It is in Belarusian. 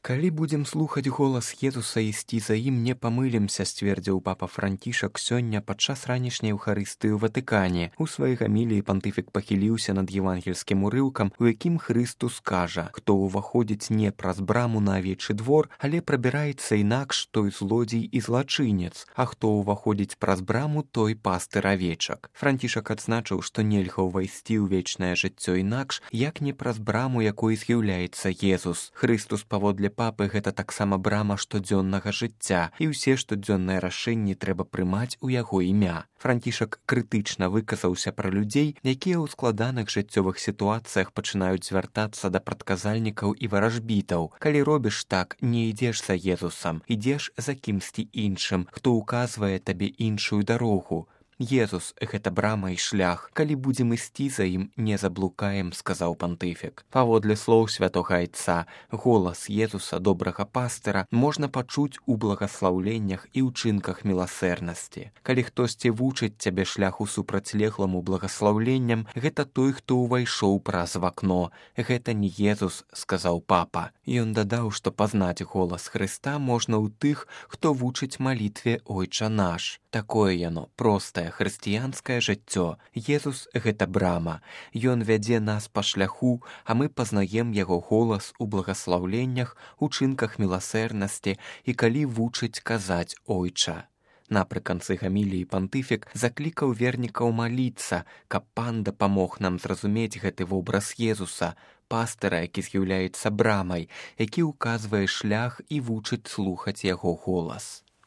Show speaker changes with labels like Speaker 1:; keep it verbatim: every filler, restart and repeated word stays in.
Speaker 1: Калі будзем слухаць голас Езуса і ісці за ім, не памылімся, сцвердзіў папа Францішак сёння падчас ранішняй Еўхарыстыі ў Ватыкане. У сваёй гаміліі пантыфік пахіліўся над евангельскім урыўкам, у якім Хрыстус кажа: «Хто ўваходзіць не праз браму на авечы двор, але прабіраецца інакш, той злодзей і злачынец, а хто ўваходзіць праз браму, той пастыр авечак». Францішак адзначыў, што нельга ўвайсці ў вечнае жыццё інакш, як не праз браму, якой з'яўляецца Езус. Хрыстус паводле папы гэта таксама брама штодзённага жыцця, і ўсе штодзённыя рашэнні трэба прымаць у яго імя. Францішак крытычна выказаўся пра людзей, якія ў складаных жыццёвых сітуацыях пачынаюць звяртацца да прадказальнікаў і варажбітаў. Калі робіш так, не ідзеш за Езусам, ідзеш за кімсьці іншым, хто ўказвае табе іншую дарогу. Езус — гэта брама і шлях. Калі будзем ісці за ім, не заблукаем, сказаў пантыфік. Паводле слоў святога айца, голас Езуса, добрага пастыра, можна пачуць у благаслаўленнях і ўчынках міласэрнасці. Калі хтосьці вучыць цябе шляху супрацьлегламу благаслаўленням, гэта той, хто ўвайшоў праз вакно. Гэта не Езус, сказаў папа. Ён дадаў, што пазнаць голас Хрыста можна ў тых, хто вучыць малітве «Ойча наш». Такое яно, простае хрысціянскае жыццё. Езус — гэта брама. Ён вядзе нас па шляху, а мы пазнаем яго голас у благаслаўленнях, учынках міласэрнасці і калі вучыць казаць «Ойча». Напрыканцы гаміліі пантыфік заклікаў вернікаў маліцца, каб пан дапамог нам зразумець гэты вобраз Езуса, пастыра, які з'яўляецца брамай, які ўказвае шлях і вучыць слухаць яго голас.